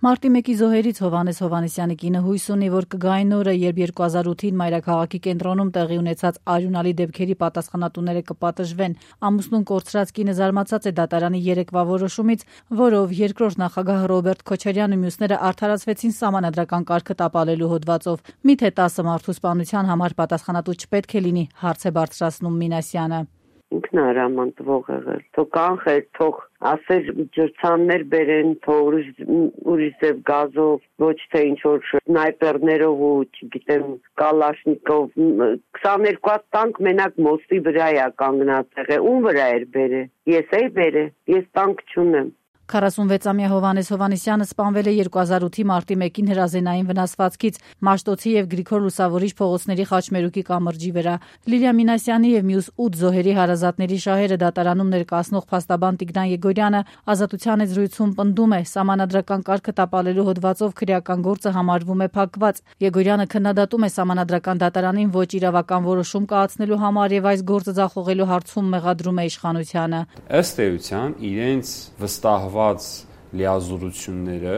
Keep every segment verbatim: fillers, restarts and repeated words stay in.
Մարտի մեկի զոհերից Հովհաննես Հովհաննիսյանի կինը հույս ունի, որ կգային օրը, երբ երկու հազար ութին մայրաքաղաքի կենտրոնում տեղի ունեցած արյունալի դեպքերի պատասխանատուները կպատժվեն։ Ամուսնուն կորցրած կինը զարմացած է դատարանի երեկվա որոշումից, որով երկրորդ նախագահ Ռոբերտ Քոչարյանն ու մյուսները արդարացվեցին սահմանադրական կարգը տապալելու հոդվածով։ Միթե տասը մարդու սպանության համար պատասխանատու չպետք է լինի, հարց է բարձրացնում Մինասյանը։ Ինքն արամանտվող եղել, թող կանխեր, թող ասեր ջրցաններ բերեն, թող ուրիշ ձև գազով, ոչ թե ինչ-որ սնայպերներով ու չգիտեմ կալաշնիկով, քսաներկու հատ տանկ մենակ մոստի վրա է կանգնած եղել, ում վրա էր բերել, ես էի բերել, ես տանկ չունեմ։ քառասունվեցամյա Հովհաննես Հովհաննիսյանը սպանվել է երկու հազար ութի մարտի մեկին հրազենային վնասվածքից Մաշտոցի եւ Գրիգոր Լուսավորիչ փողոցների խաչմերուկի կամրջի վրա։ Լիլիա Մինասյանի եւ մյուս ութ զոհերի հարազատների շահերը դատարանում ներկայացնող փաստաբան Տիգրան Եգորյանը ազատության հետ զրույցում պնդում է, սահմանադրական կարգը տապալելու հոդվածով քրեական գործը համարվում է փակված։ Եգորյանը քննադատում է սահմանադրական դատարանին ոչ իրավական որոշում կայացնելու համար եւ այս գործը ձախողելու հարցում մեղադրում է իշխանությանը։ Ըստ էության իրենց վստահված լիազորությունները,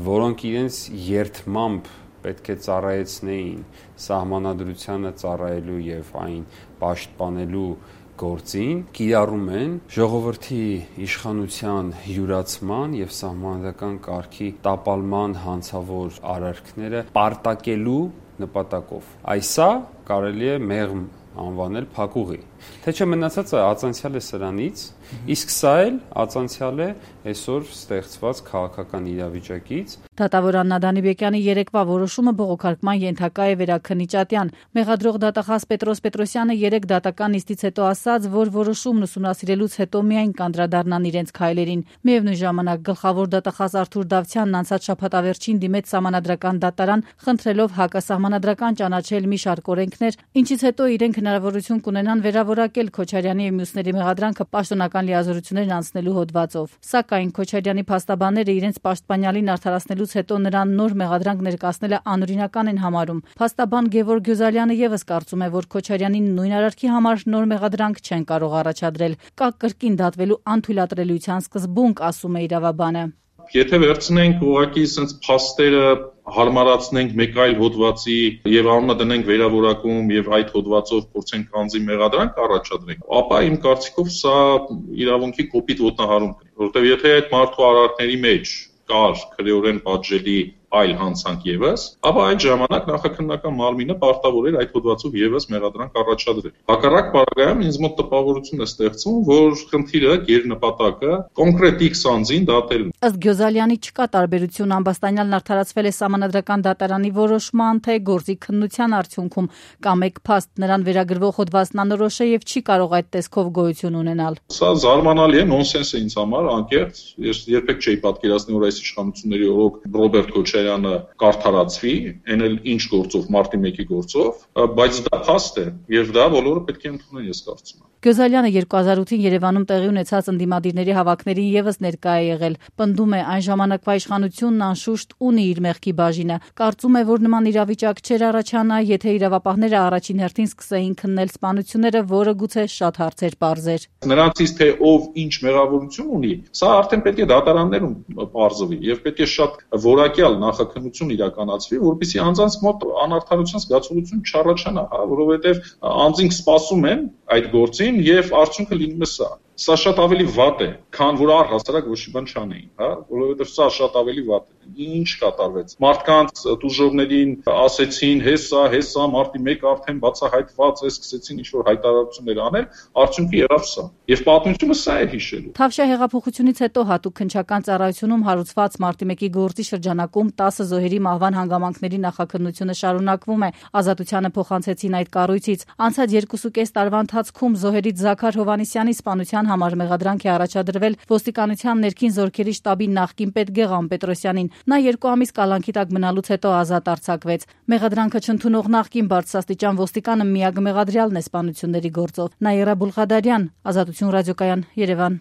որոնք իրենց երդմամբ պետք է ծառայեցնեին սահմանադրությանը ծառայելու եւ այն պաշտպանելու գործին, կիրառում են ժողովրդի իշխանության յուրացման եւ սահմանադրական կարգի տապալման հանցավոր արարքները պարտակելու նպատակով։ Այսա կարելի է մեղմ անվանել փակուղի, թե չէ մնացածը ածանցյալ է սրանից, իսկ սա էլ ածանցյալ է այսօր ստեղծված քաղաքական իրավիճակից։ Դատավոր Աննա Դանիբեկյանի երեկվա որոշումը բողոքարկման ենթակա է Վերաքննիչատյան։ Մեղադրող դատախազ Պետրոս Պետրոսյանը երեք դատական նիստից հետո ասաց, որ որոշումն ուսումնասիրելուց հետո միայն կանդրադառնան իրենց քայլերին։ Միևնույն ժամանակ գլխավոր դատախազ Արթուր Դավթյանն անցած շաբաթավերջին դիմեց սահմանադրական դատարան, խնդրելով հակասահմանադրական ճանաչել մի շարք օրենքներ, ինչից հետո իրենք հնարավորություն կունենան վերավորակել Քոչարյանի եւ մյուսների մեղադրանքը պաշտոնական լիազորություններն անցնելու հոդվածով։ Սակայն Քոչարյանի փաստաբանները իրենց պաշտպանյալին արդարացնելուց հետո նրան նոր մեղադրանք ներկայացնելը անօրինական են համարում։ Փաստաբան Գևորգ Գյուզալյանը եւս կարծում է, որ Քոչարյանին նույն արարքի համար նոր մեղադրանք չեն կարող առաջադրել։ Կա կրկին դատվելու անթույլատրելիության սկզբունք, ասում է իրավաբանը։ Եթե վերցնենք ուղղակի sense փաստերը հարմարացնենք մեկ այլ հոդվածի եւ անունը դնենք վերավորակում եւ այդ հոդվածով փորձենք անձի մեղադրանք առաջադրենք, ապա իմ կարծիքով սա իրավունքի կոպիտ ոտնահարում կլինի, որովհետեւ եթե այդ մարդու արարքների մեջ կար քրեորեն պատժելի այլ հանցանք եւս, ապա այդ ժամանակ նախաքննական մարմինը պարտավոր էր այդ հոդվածով եւս մեղադրանք առաջադրել։ Հակառակ բaragայում ինձ մոտ տպավորություն է ստեղծվում, որ խնդիրը գերնպատակը կոնկրետ X անձին դատելն է։ Ըստ Գյուզալյանի չկա տարբերություն ամբաստանյալն արդարացվել է սահմանադրական դատարանի որոշման, թե գործի քննության արդյունքում կամ մեկ փաստ նրան վերագրվող հոդվածն անորոշ է եւ չի կարող այդ տեսքով գոյություն ունենալ։ Սա զարմանալի է, նոնսենս է ինձ համար, անկեղծ, ես երբեք չէի պատկերացնի, որ այս իշխանությունների օրոք Ռոբերտ Քոչարյանը կարդարացվի, այն էլ ինչ գործով, մարտի մեկի գործով, բայց դա փաստ է եւ դա բոլորը պետք է ընդունեն, ես կարծում եմ։ Գյուզալյանը երկու հազար ութին Երևանում տեղի ունեցած ընդդիմադիրների հավաքներին եւս ներկա է եղել։ Պնդում է, այն ժամանակվա իշխանությունն անշուշտ ունի իր մեղքի բաժինը։ Կարծում է, որ նման իրավիճակ չէր առաջանա, եթե իրավապահները առաջին հերթին սկսեին քննել սպանությունները, որը գուցե շատ հարցեր պարզեր։ Նրանցից թե ով ինչ մեղավորություն ունի, սա արդեն պետք է դատարաններում պարզվի եւ պետք է շատ որակյալ նախաքննություն իրականացվի, որպեսզի անձանց մոտ անարդարության զգացողություն չառաջանա, հա, որովհետեւ անձինք սպասում են այդ գործին եւ արդյունքը լինում է սա։ Սա շատ ավելի վատ է, քան որ առհասարակ ոչ մի բան չանեին, հա, որովհետեւ սա շատ ավելի վատ է։ Ինչ կատարվեց։ Մարդկանց դուժողներին ասեցին, հեսա, հեսա, մարտի մեկը արդեն բացահայտված է, սկսեցին ինչ-որ հայտարարություններ անել, արդյունքը եղավ սա։ Եվ պատմությունը սա է հիշելու։ Թավշյա հեղափոխությունից հետո հատուկ քննչական ծառայությունում հարուցված մարտի մեկի գործի շրջանակում տասը զոհերի մահվան հանգամանքների նախաքննությունը շարունակվում է։ Ազատությանը փոխանցեցին այդ կառույցից։ Անցած երկուսուկես տարվա ընթացքում զոհերից Զաքար Հովհաննիսյանի սպանության համար մեղադրանք է առաջադրվել ոստիկանության ներքին զորքերի շտաբի նախկին պետգեղան Պետրոսյանին։ Նա երկու ամիս կալանքի տակ մնալուց հետո ազատ արձակվեց։ Մեղադրանքը չընդունող նախկին բարձրաստիճան ոստիկանը միակ մեղադրյալն է սպանությունների գործով։ Նաիրա Բուլղադարյան, Ազատություն ռադիոկայան, Երևան։